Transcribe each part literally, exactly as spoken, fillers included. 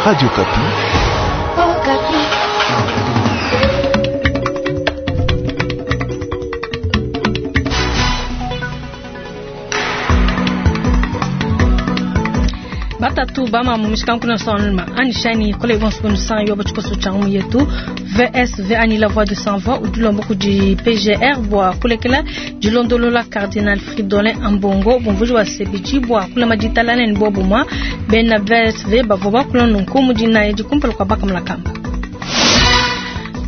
Radio Okapi. Okapi. Batatu bama mu mishikanku sonma ani shani kole bonso kunu san yo bachikoso changu yetu V S V ani la voix de sans voix udulombo ku di P G R bwa kulekela dilondolola Cardinal Fridolin Ambongo bomvuji wa C B G bwa kula majitala ne bobo mwa bena V S V bavoba kula nunku mudina yedi kumpala kwa bakamla kamba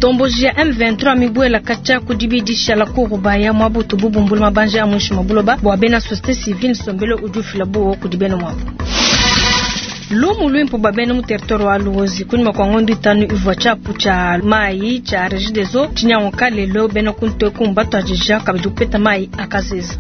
Tomboji ya M vingt-trois mibwela kacha kudibidisha la kurubaya mwabutu bubumbula mabanja ya mwisho mabuloba bwa bena société civile sombelo ujufila buo kudibena mwabu Lumu lwimpo babene mu territoire wa Luozi kunyuma kwa ngondo itanu ivwa chapu cha mai cha Regideso chinyangoka lelo bena kuntwe kumba twajija kabidi kupeta mai akaziza.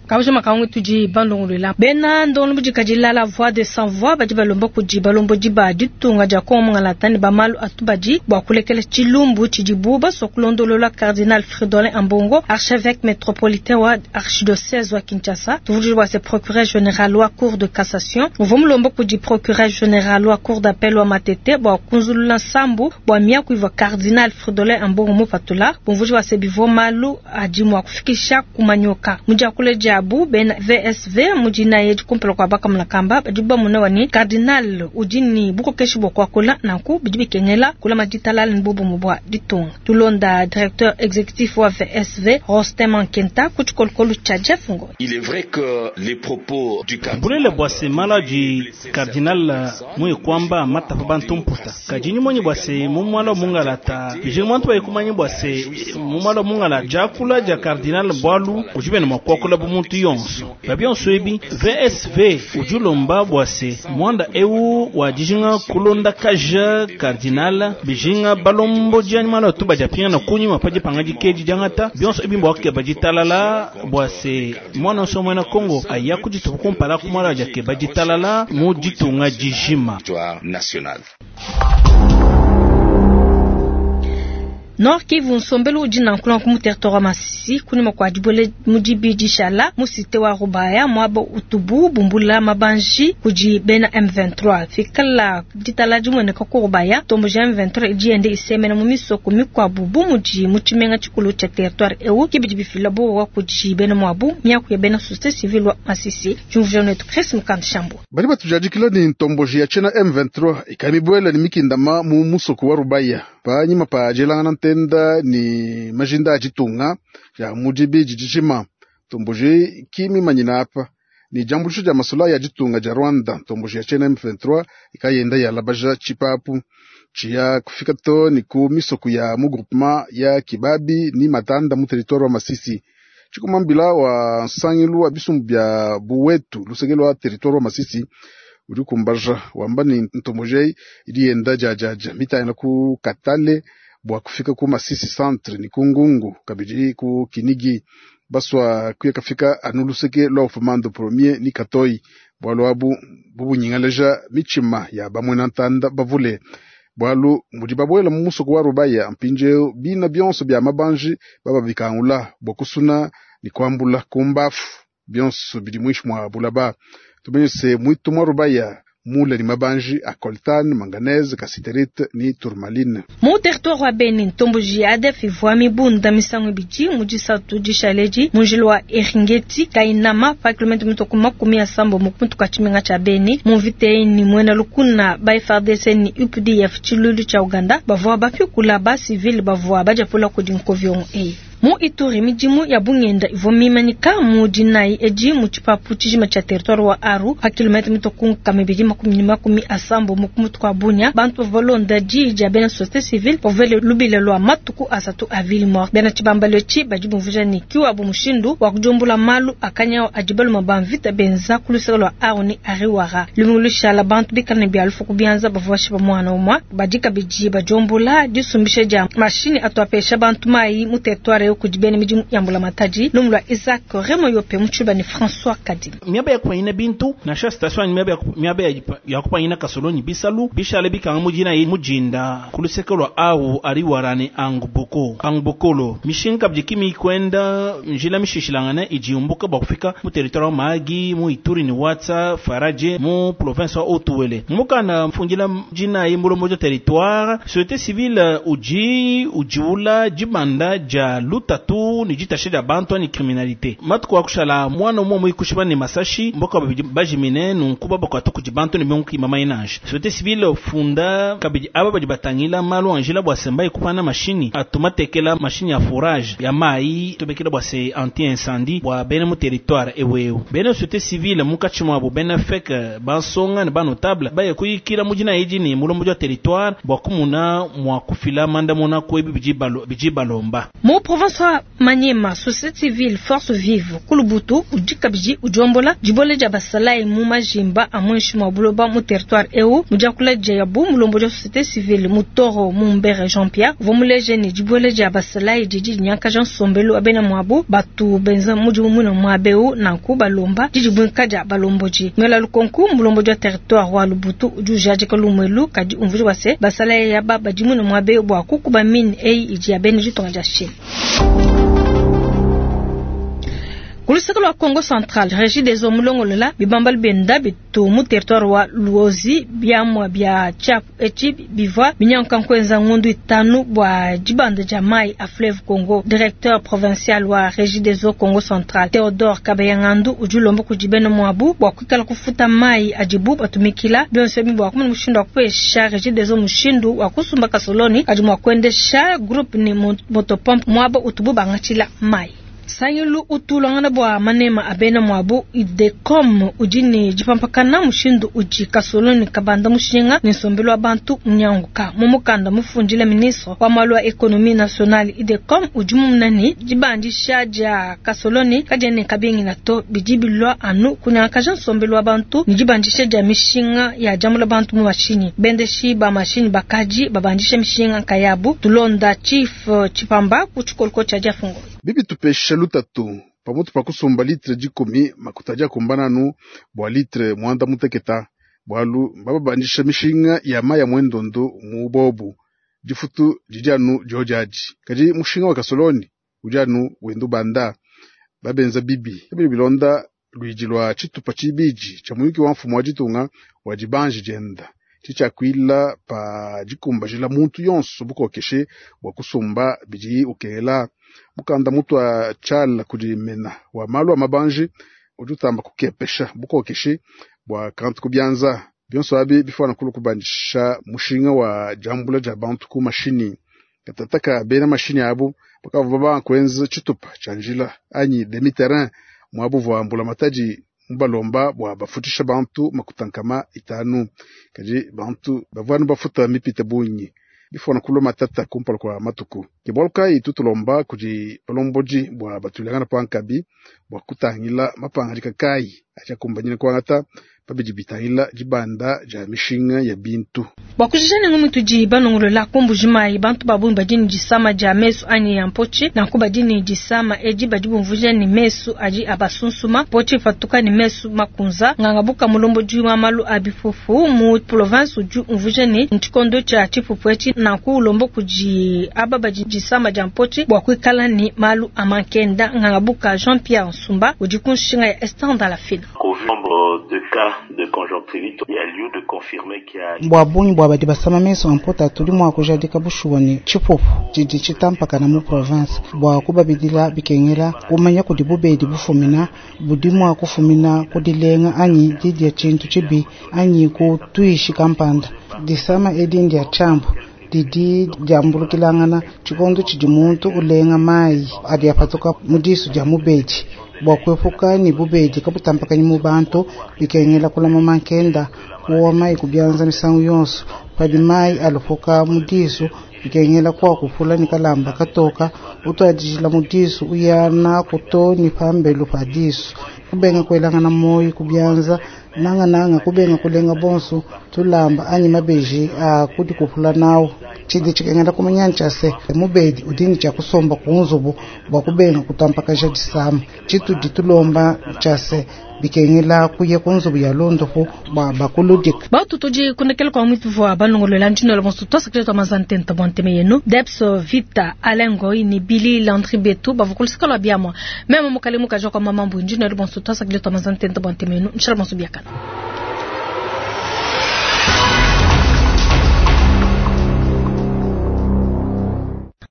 Kabuja makangu tuji bandongolwela bena ndongo bujikajila la voix de sans voix badi balomba kuji balombo diba ditunga dia kongo ngalatani ba malu atubaji bwa kulekela chilumbu chidibu basokulondolola Cardinal Fridolin Ambongo archevêque métropolitain wa archidiocèse wa Kinshasa tuvuji wa se procureur général wa cour de cassation uvomulomba kuji procureur général wa cour d'appel wa Matete bwa kunzulula sambu bwa miaku iva Cardinal Fridolin Ambongo mupatula bumvuji wa se bivo malu adi mwa kufikisha kumanyoka mujakule jabu bena V S V mujina yetu kumpela kwa baka mlakamba badiba munawani Cardinal ujini buko keshi bwa kwakola nanku bidibi kenyela kula majitala nbubu mubwa ditunga tulonda directeur exécutif wa V S V Rostem Ankenta kuchikolokolo cha Jeff Ngo. Il est vrai que les propos du cardinal Bulele bwa semala di cardinal mwe kwamba matafa bantumputa kajini mwenye bwa se mumwala mungalata bijinga mwantu bayikumanye bwa se mumwala mungala jakula ja cardinal bwalu ujibene mwa kwakola bumuntu yonso babyonso ebi V S V ujulomba bwase mwanda ewu wa dijinga kulonda kaja cardinal bijinga balombo jani mala tuba japinga na kunyima paji panga jikeji jangata byonso ebi mbwake bajitalala bwase mwana so mwana Kongo aya kujitupu kumpala kumala jake bajitalala mu jitunga jijima national. Nord Kivu nsombelu udi nankula ku mu territoire wa Masisi kunyuma kwa dibole mudibi dishala mu cité wa Rubaya mwaba utubu bumbula mabanji kudi bena M vingt-trois fikala ditala dimweneka ku Rubaya tombo ja M vingt-trois idi ende isemena mu misoko mikwabu bu mudi mu tshimenga tshikulu tshia territoire ewu kibidi bifila bowa kudi bena mwabu miaku ya bena société civile wa Masisi jumvuja netu Chris Mukanda Shambo bali batujadikila ni ntomboji ya tshena M vingt-trois ikamibwela ni mikindama mu musoko wa Rubaya panyima pa jelangana ntenda ni majinda ajitunga ya mujibi jijima tomboji kimi manyina apa ni jambulisho ja masula ya jitunga ja Rwanda tomboji ya chena M vingt-trois ikayenda ya labaja chipapu chia kufika to ni ku misoko ya mu groupement ya Kibabi ni Matanda mu territoire wa Masisi chikumambila wa nsangilu wa bisumbu bya Buwetu lusegelo wa territoire wa Masisi uri kumbaja wamba ni ntomboji irienda jajaja mitayana ku Katale bwa kufika ku Masisi centre ni kungungu kabiri ku Kinigi baswa kuya kafika anuluseke lwa ufumando premier ni Katoi bwalu abu bubunyingaleja michima ya bamwe na ntanda bavule bwalu mudi babwela mu musoko wa Rubaya mpinje bina byonso bya mabanji baba bikangula bwa kusuna ni kwambula kumbafu byonso biri mwishi mwa bulaba tumenyese mwitu mwa Rubaya mule ni mabanji a coltan, manganese, cassiterite ni tourmaline. Mu territoire wa Beni ntomboji ya A D F ivua mibunda misango ibidi mu disatu dishaleji mu njila wa Eringeti Kainama pa kilomita mitoko makumi ya sambo mu kumuntu kwa tshimenga tshia Beni mu mvita ni mwena lukuna ba F R D C ni U P D F tshilulu tshia Uganda bavua bapikula ba civil bavua badiapula kudi nkoviongo eyi. Mu Ituri midimu ya bungenda ivua mimanyika mu dinai edi mu tshipapu tshijima tshia territoire wa Aru pa kilomita mitoko nkama ibidi makumi ne makumi asambo mu kumutu kwa Bunia bantu bavua balonda diyi dia bena société civile bavua lubila lwa matuku asatu a ville morte bena tshibambalo tshi badi bumvuja ne kiwabu mushindu wa kudiumbula malu akanyawo adi baluma ba mvita benza ku luseke lwa Aru ni Ariwara lumingu lushala bantu bikala ne bia lufu ku bianza bavua bashipa mwana umwa badi kabidi badiumbula disumbisha dia mashini atuapesha bantu mayi mu territoire eu kudi bena midimu ya mbulamatadi. Lumu lwa Isaac Remo Yope mu tshiluba ne François Kadima. Miaba ya kupanyina bintu nansha station anyi miaba ya kup- miaba ya jipa- ya kupanyina kasolonyi bisalu bishale bikanga mujina ye mujinda kuluseke lwa awu ari warane anguboko angubokolo mishinga kabidi kimi kwenda njila mishishilangane ijiumbuka bua kufika mu territoire wa Mahagi mu Ituri ni Watsa Faraje mu province wa Otuwele mukana mfungila jina ye mulombo ja territoire société civile uji ujiula jibanda ja lutatu ni jitashe ja bantu ani criminalité matuku akushala mwana umwe muikushiba ni masashi mboka babidi bajimine nunkuba bakwatu kuji bantu ni mionki mama inanje société civile funda kabidi aba badi batangila malu anjila bwa semba ikupana mashini atumatekela mashini ya forage ya mai tubekela bwa se anti incendie bwa bene mu territoire ewewe bene société civile mukachi mwabo bene feke bansonga ne banotable baye kuyikila mujina iji ni mulombo ja territoire bwa kumuna mwa kufila mandamuna kwebi biji balo- biji balomba Mu province wa Maniema, société civile force vive kulubutu udi kabidi udiombola dibole dia basalayi mu majimba a muinshi mua buloba mu territoire eu mudiakula dia yabu mulombo dia société civile mutoro mumbere Jean Pierre uvua muleje ne dibole dia basalayi didi dinyankaja nsombelu wa bena muabu batu benza mudimu muine muaba eu nanku balomba didibuinka dia balombodi mwela lukonku mulombo dia territoire wa Lubutu udi ujadika lumuelu kadi umvuija bua se basalayi yaba badi muine muaba eu bua kukuba mine eyi idi ya bena ditunga dia Chine. Kuluseke lwa Congo Central, Régie des eaux mulongolola bibambali benda bitu mu territoire wa Luozi biamwa bia tshiapu etshi bivua binyanka nkuenza ngundu itanu bua dibanda dia mai a fleuve Congo. Directeur provincial wa Régie des eaux Congo Central Theodore Kabeyangandu udi ulomba kudi bena muabu bua kuikala kufuta mai adibu batumikila bionso ebi bua kumona mushindu wa kupesha Régie des eaux mushindu wa kusumba kasoloni adi mua kuendesha groupe ne motopompe muaba utubu bangatshila mai. Sangilu utulangana bua manema a bena muabu idecom udi ne dipampakana mushindu udi kasoloni kabanda mushinga ne nsombelu wa bantu munyanguka. Mu mukanda mufundila ministre wa malu a économie nationale idecom udi mumuna ne dibandisha dia kasoloni kadiene kabingila to bidi bilua anu kunyangakaja nsombelu wa bantu ne dibandisha dia mishinga ya diambula bantu mu mashinyi. Bendeshi ba mashinyi bakadi babandisha mishinga nkayabu. Tulonda chief eh, Chipamba ku tshikoloko tshia diafungo. Bibi tupesha lutatu pamutu pa kusumba litre dikumi makuta adia kumbananu bua litre mwanda muteketa bualu mbababandisha mishinga ya mai ya mwendondo mu bobu difutu didi anu diodiadi kadi mushinga wa kasoloni udi anu wenda ubanda babenza bibi bidi bilonda luidi lua tshitupa tshibidi tshia muyuki wa mfumu wa ditunga wa dibanji dienda tshitshiakuila pa dikumbajila muntu yonso bukokeshe bua kusumba bidi ukela mukanda mutu wa tshiala kudi mena wa malu a mabanji udi utamba kukepesha bukokeshe bua kantu kubianza bionso abi bifwana kulu kubandisha mushinga wa diambula dia bantu ku mashini katataka bena mashini abu bakavua babanga kuenza tshitupa tshia njila anyi demi terrain muabu vua mbulamatadi mubalomba bua bafutisha bantu makuta nkama itanu kadi bantu bavua anu bafuta mipite bungi bifwana kulua matata kumpala kua matuku ke bualu kayi tutulomba kudi balombodi bua batulangana pankabi bua kutangila mapangadika kayi adi akumbanyine kuangata pabidi bitangila dibanda dia mishinga ya bintu. Bua kujija ne ngumu tudi banongolola ku Mbuji-Mayi, bantu ba bungi badi ne disama dia mesu anyi ya mpotshi. Nanku badi ne disama edi badi bumvuija ne mesu adi abasunsuma mpotshi ipatuka ne mesu makunza. Nganga buka mulombodi wa malu a bipupu mu province udi umvuija ne ntshikondo tshia tshipupu etshi nanku ulomba kudi aba badi disama dia mpotshi bua kuikala ne malu a mankenda. Nganga buka Jean-Pierre Nsumba udi ku nshinga ya Esther Ndalafina. Qu'au vu du nombre de cas de conjonctivite, il y a lieu de confirmer qu'il y a bua bungi bua badi basama meso a mpota tudi mua kujadika bushuwa ne tshipupu tshidi tshitampakana mu province bua kubabidila bikengela kumanya kudi bubedi bufumina budi mua kufumina ku dilenga anyi didia tshintu tshibi anyi ku tuishi kampanda. Disama edi ndia tshiambu didi diambulukilangana tshikondo tshidi muntu ulenga mayi adi apatuka mu disu dia mubedi. Bua kuepuka ne bubedi kabutampakanyi mu bantu bikengela kulama mankenda kuowa mayi kubianza misangu yonso padi mayi alupuka mu disu bikengela kwa kupula ni kalamba katoka utwadijila mu disu uya naku to ni pambelu pa disu. Kubenga kuelangana moyi kubyanza, nanga nanga kubenga kulenga bonso tulamba anyi mabeji a kudi kupula nawo. Tshidi tshikengela kumanya ntshia se mubedi udi ne tshia kusomba ku nzubu bua kubenga kutampakaja disama. Tshitudi tulomba ntshia se bikengela kuya ku nzubu ya londopu bua bakuludika. Batu tudi kunekela kwa mwitu vwa balongolola ndino bonso twasakile twa mazantenta bwa nteme yenu Debs Vita Alain Goy ni Billy Landry Betu bavukulusika lwa biamwa meme mukale mukaja kwa mama mbu ndino bonso twasakile twa mazantenta bwa nteme yenu nshala bonso biakana.